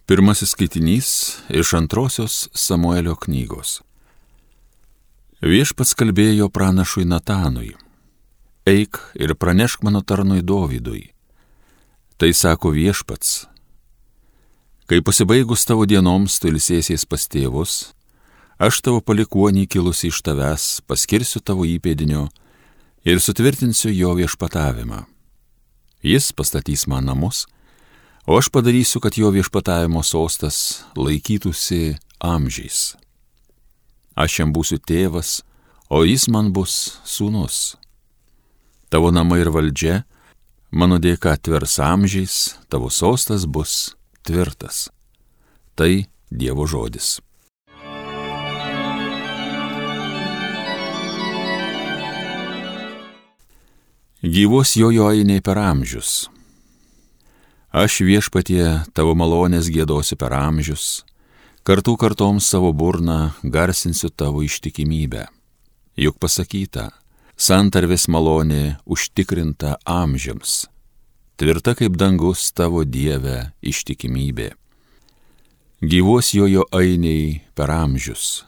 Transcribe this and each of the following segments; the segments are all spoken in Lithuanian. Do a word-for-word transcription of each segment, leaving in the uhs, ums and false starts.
Pirmasis skaitinys iš antrosios Samuelio knygos. Viešpats kalbėjo pranašui Natanui: Eik ir pranešk mano tarnui Dovydui. Tai sako Viešpats: Kai pasibaigus tavo dienoms tu ilsėsies pas tėvus, aš tavo palikuonį kilusi iš tavęs paskirsiu tavo įpėdinio ir sutvirtinsiu jo viešpatavimą. Jis pastatys man namus, o aš padarysiu, kad jo viešpatavimo sostas laikytųsi amžiais. Aš jam būsiu tėvas, o jis man bus sūnus. Tavo namai ir valdžia mano dėka tvers amžiais, tavo sostas bus tvirtas. Tai Dievo žodis. Gyvos jojo ainiai per amžius. Aš Viešpatie tavo malonės giedosiu per amžius, kartų kartoms savo burną garsinsiu tavo ištikimybę. Juk pasakyta, santarvės malonė užtikrinta amžiams, tvirta kaip dangus tavo Dieve ištikimybė. Gyvos jojo ainiai per amžius.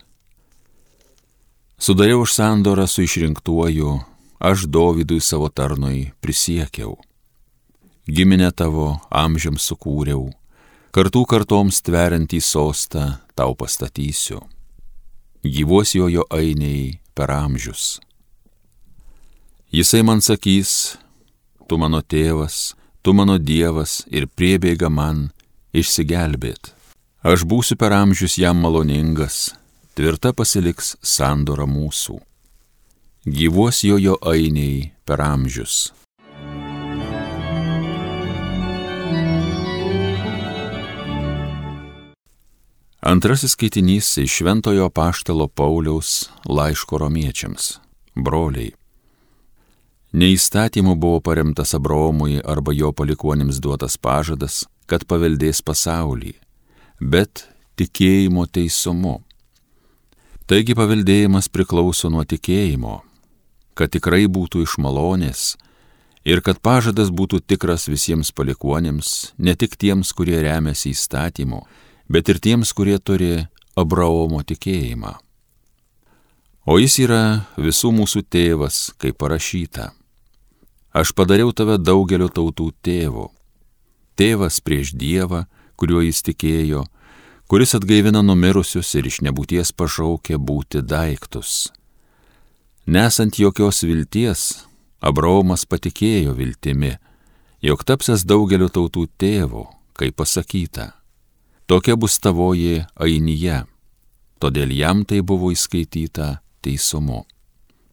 Sudariau už sandorą su išrinktuoju, aš Dovydui savo tarnui prisiekiau. Giminę tavo amžiams sukūriau, kartų kartoms tveriantį sostą tau pastatysiu. Gyvos jojo ainiai per amžius. Jisai man sakys: Tu mano tėvas, tu mano Dievas ir priebėga man išsigelbėt. Aš būsiu per amžius jam maloningas, tvirta pasiliks sandora mūsų. Gyvos jojo ainiai per amžius. Antrasis skaitinys iš Šventojo apaštalo Pauliaus laiško romiečiams. Broliai, ne įstatymu buvo paremtas Abraomui arba jo palikuonims duotas pažadas, kad paveldės pasaulį, bet tikėjimo teisumu. Taigi paveldėjimas priklauso nuo tikėjimo, kad tikrai būtų iš malonės ir kad pažadas būtų tikras visiems palikuonims, ne tik tiems, kurie remiasi įstatymu, bet ir tiems, kurie turi Abraomo tikėjimą. O jis yra visų mūsų tėvas, kaip parašyta: Aš padariau tave daugelio tautų tėvu. Tėvas prieš Dievą, kuriuo jis tikėjo, kuris atgaivina numirusius ir iš nebūties pašaukė būti daiktus. Nesant jokios vilties, Abraomas patikėjo viltimi, jog tapsiąs daugelio tautų tėvu, kaip pasakyta: Tokia bus tavoji ainyje, todėl jam tai buvo įskaityta teisumu.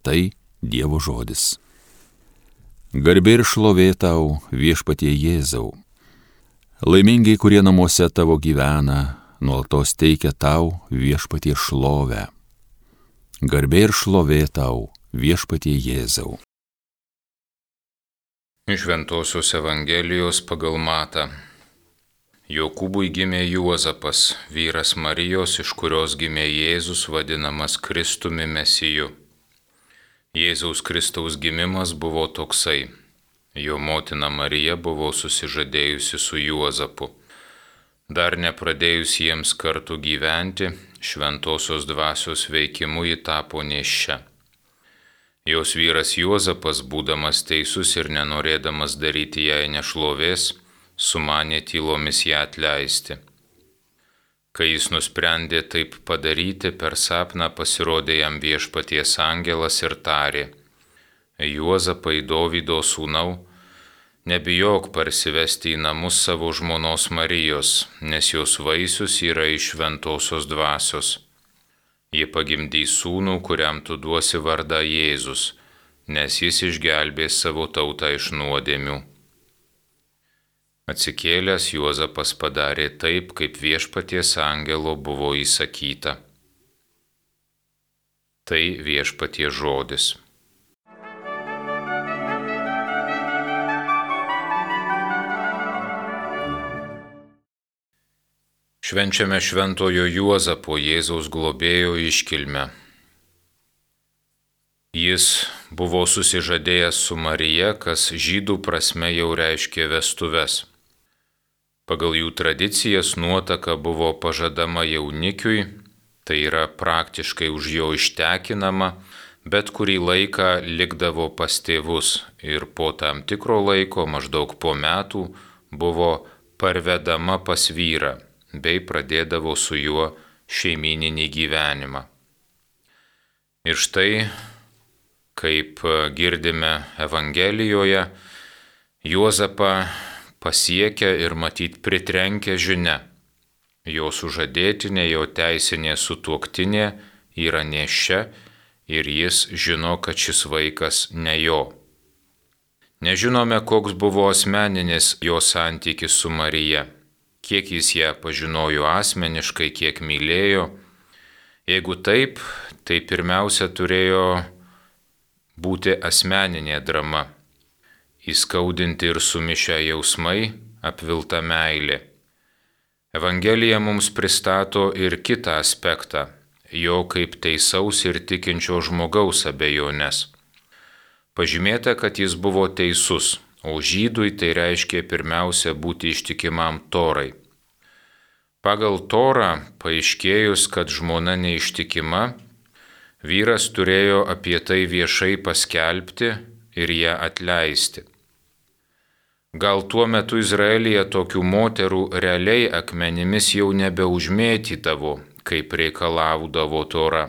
Tai Dievo žodis. Garbė ir šlovė tau, Viešpatie Jėzau. Laimingai, kurie namuose tavo gyvena, nuolatos teikia tau, Viešpatie, šlovę. Garbė ir šlovė tau, Viešpatie Jėzau. Iš Šventosios Evangelijos pagal Matą. Jokūbui gimė Juozapas, vyras Marijos, iš kurios gimė Jėzus, vadinamas Kristumi Mesiju. Jėzaus Kristaus gimimas buvo toksai: jo motina Marija buvo susižadėjusi su Juozapu. Dar nepradėjus jiems kartu gyventi, šventosios dvasios veikimu ji tapo nėščia. Jos vyras Juozapas, būdamas teisus ir nenorėdamas daryti jai nešlovės, sumanė tylomis ją atleisti. Kai jis nusprendė taip padaryti, per sapną pasirodė jam Viešpaties angelas ir tarė: Juozapai, Dovydo sūnau, nebijok parsivesti į namus savo žmonos Marijos, nes jos vaisius yra iš šventosios dvasios. Ji pagimdys sūnų, kuriam tu duosi vardą Jėzus, nes jis išgelbės savo tautą iš nuodėmių. Atsikėlęs, Juozapas padarė taip, kaip Viešpaties angelo buvo įsakyta. Tai Viešpaties žodis. Švenčiame šventojo Juozapo, Jėzaus globėjo iškilmę. Jis buvo susižadėjęs su Marija, kas žydų prasme jau reiškė vestuves. Pagal jų tradicijas nuotaka buvo pažadama jaunikiui, tai yra praktiškai už jo ištekinama, bet kurį laiką likdavo pas tėvus ir po tam tikro laiko, maždaug po metų, buvo parvedama pas vyrą bei pradėdavo su juo šeimyninį gyvenimą. Ir štai, kaip girdime Evangelijoje, Juozapą pasiekia ir matyt pritrenkia žinia. Jo sužadėtinė, jo teisinė sutuoktinė yra nėščia ir jis žino, kad šis vaikas ne jo. Nežinome, koks buvo asmeninis jo santykis su Marija, kiek jis ją pažinojo asmeniškai, kiek mylėjo. Jeigu taip, tai pirmiausia turėjo būti asmeninė drama, įskaudinti ir sumišę jausmai, apvilta meilė. Evangelija mums pristato ir kitą aspektą, jo kaip teisaus ir tikinčio žmogaus abejonės. Pažymėta, kad jis buvo teisus, o žydui tai reiškia pirmiausia būti ištikimam Torai. Pagal Torą, paaiškėjus, kad žmona neištikima, vyras turėjo apie tai viešai paskelbti ir ją atleisti. Gal tuo metu Izraelyje tokių moterų realiai akmenimis jau nebeužmėtydavo, kaip reikalaudavo Tora,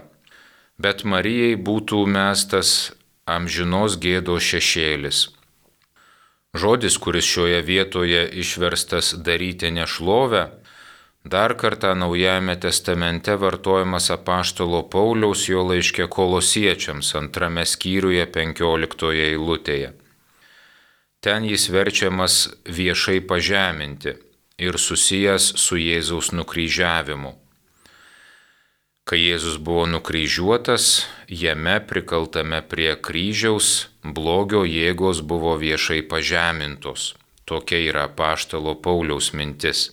bet Marijai būtų mestas amžinos gėdos šešėlis. Žodis, kuris šioje vietoje išverstas daryti nešlovę, dar kartą Naujajame testamente vartojamas apaštalo Pauliaus jo laiške Kolosiečiams antrame skyriuje penkioliktoje eilutėje. Ten jis verčiamas viešai pažeminti ir susijęs su Jėzaus nukryžiavimu. Kai Jėzus buvo nukryžiuotas, jame prikaltame prie kryžiaus blogio jėgos buvo viešai pažemintos. Tokia yra apaštalo Pauliaus mintis.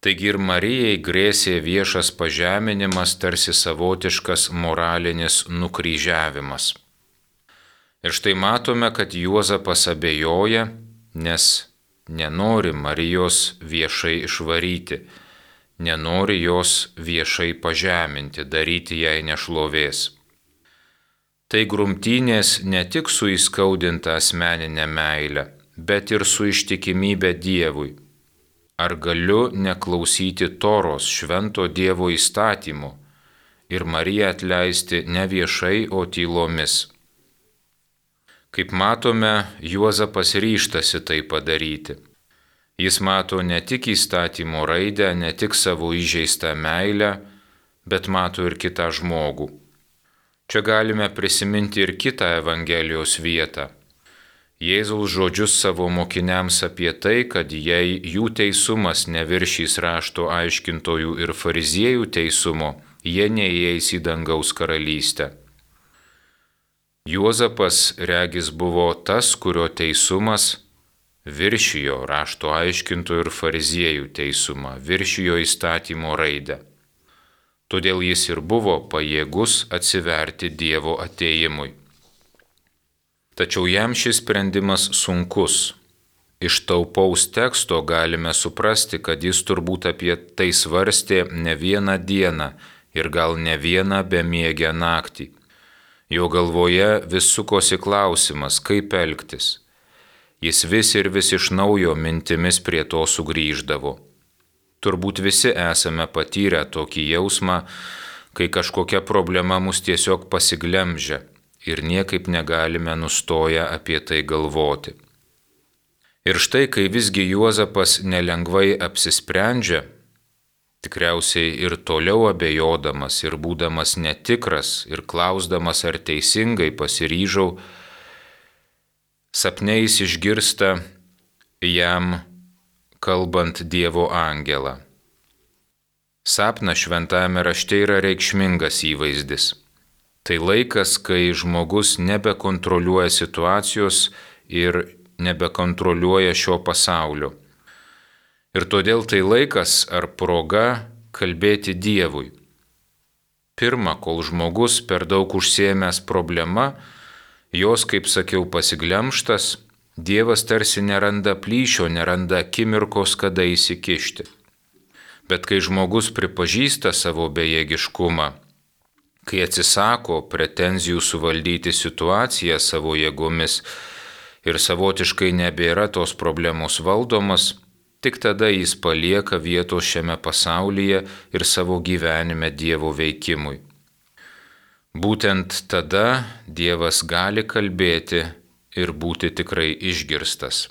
Taigi ir Marijai grėsė viešas pažeminimas, tarsi savotiškas moralinis nukryžiavimas. Ir štai matome, kad Juozapas abejoja, nes nenori Marijos viešai išvaryti, nenori jos viešai pažeminti, daryti jai nešlovės. Tai grumtynės ne tik su įskaudinta asmeninė meile, bet ir su ištikimybė Dievui. Ar galiu neklausyti Toros, švento Dievo įstatymų, ir Mariją atleisti ne viešai, o tylomis? Kaip matome, Juozapas ryžtasi tai padaryti. Jis mato ne tik įstatymo raidę, ne tik savo įžeistą meilę, bet mato ir kitą žmogų. Čia galime prisiminti ir kitą Evangelijos vietą. Jėzaus žodžius savo mokiniams apie tai, kad jei jų teisumas neviršys rašto aiškintojų ir fariziejų teisumo, jie neįeis į dangaus karalystę. Juozapas regis buvo tas, kurio teisumas viršijo rašto aiškintojų ir fariziejų teisumą, viršijo įstatymo raidę. Todėl jis ir buvo pajėgus atsiverti Dievo atėjimui. Tačiau jam šis sprendimas sunkus. Iš taupaus teksto galime suprasti, kad jis turbūt apie tai svarstė ne vieną dieną ir gal ne vieną bemiegę naktį. Jo galvoje vis sukosi klausimas, kaip elgtis. Jis vis ir vis iš naujo mintimis prie to sugrįždavo. Turbūt visi esame patyrę tokį jausmą, kai kažkokia problema mus tiesiog pasiglemžia ir niekaip negalime nustoję apie tai galvoti. Ir štai, kai visgi Juozapas nelengvai apsisprendžia, tikriausiai ir toliau abejodamas ir būdamas netikras ir klausdamas, ar teisingai pasiryžau, sapniais išgirsta jam kalbant Dievo angelą. Sapnas šventajame rašte yra reikšmingas įvaizdis. Tai laikas, kai žmogus nebekontroliuoja situacijos ir nebekontroliuoja šio pasaulio. Ir todėl tai laikas ar proga kalbėti Dievui. Pirma, kol žmogus per daug užsiėmęs problema, jos, kaip sakiau, pasiglemštas, Dievas tarsi neranda plyšio, neranda akimirkos, kada įsikišti. Bet kai žmogus pripažįsta savo bejėgiškumą, kai atsisako pretenzijų suvaldyti situaciją savo jėgomis ir savotiškai nebėra tos problemos valdomas, tik tada jis palieka vietos šiame pasaulyje ir savo gyvenime Dievo veikimui. Būtent tada Dievas gali kalbėti ir būti tikrai išgirstas.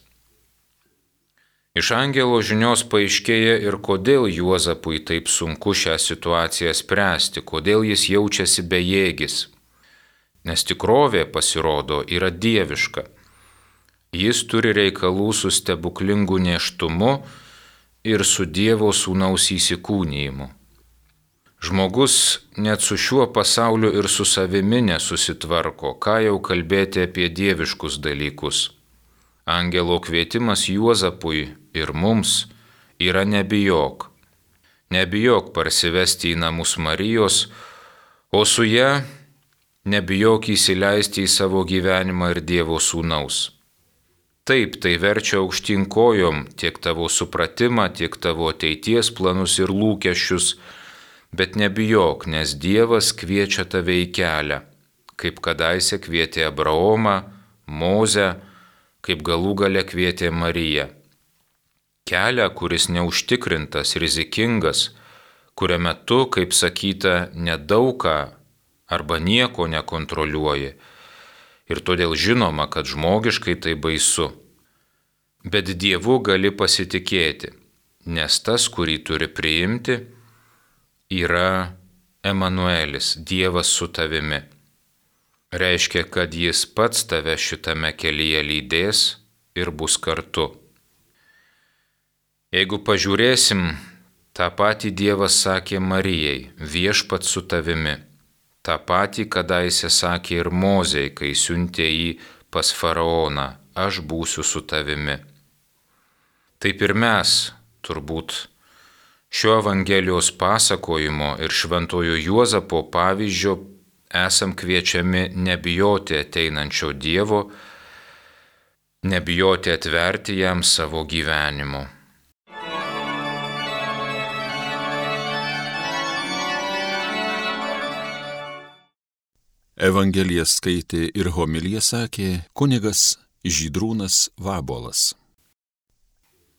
Iš angelo žinios paaiškėja ir kodėl Juozapui taip sunku šią situaciją spręsti, kodėl jis jaučiasi bejėgis. Nes tikrovė, pasirodo, yra dieviška. Jis turi reikalų su stebuklingu nėštumu ir su Dievo sūnaus įsikūnijimu. Žmogus net su šiuo pasauliu ir su savimi nesusitvarko, ką jau kalbėti apie dieviškus dalykus. Angelo kvietimas Juozapui ir mums yra nebijok. Nebijok parsivesti į namus Marijos, o su ja nebijok įsileisti į savo gyvenimą ir Dievo sūnaus. Taip, tai verčia aukštyn kojom tiek tavo supratimą, tiek tavo ateities planus ir lūkesčius, bet nebijok, nes Dievas kviečia tave į kelią, kaip kadaise kvietė Abraomą, Mozę, kaip galų gale kvietė Mariją. Kelią, kuris neužtikrintas, rizikingas, kuriame tu, kaip sakyta, nedaugą arba nieko nekontroliuoji. Ir todėl žinoma, kad žmogiškai tai baisu. Bet Dievu gali pasitikėti, nes tas, kurį turi priimti, yra Emanuelis, Dievas su tavimi. Reiškia, kad jis pats tave šitame kelyje lydės ir bus kartu. Jeigu pažiūrėsim, tą patį Dievas sakė Marijai, viešpat su tavimi. Ta patį kadaise sakė ir Mozei, kai siuntė jį pas faraoną, aš būsiu su tavimi. Taip ir mes, turbūt, šio Evangelijos pasakojimo ir šventojo Juozapo pavyzdžio esam kviečiami nebijoti ateinančio Dievo, nebijoti atverti jam savo gyvenimu. Evangeliją skaitė ir homiliją sakė kunigas Žydrūnas Vabolas.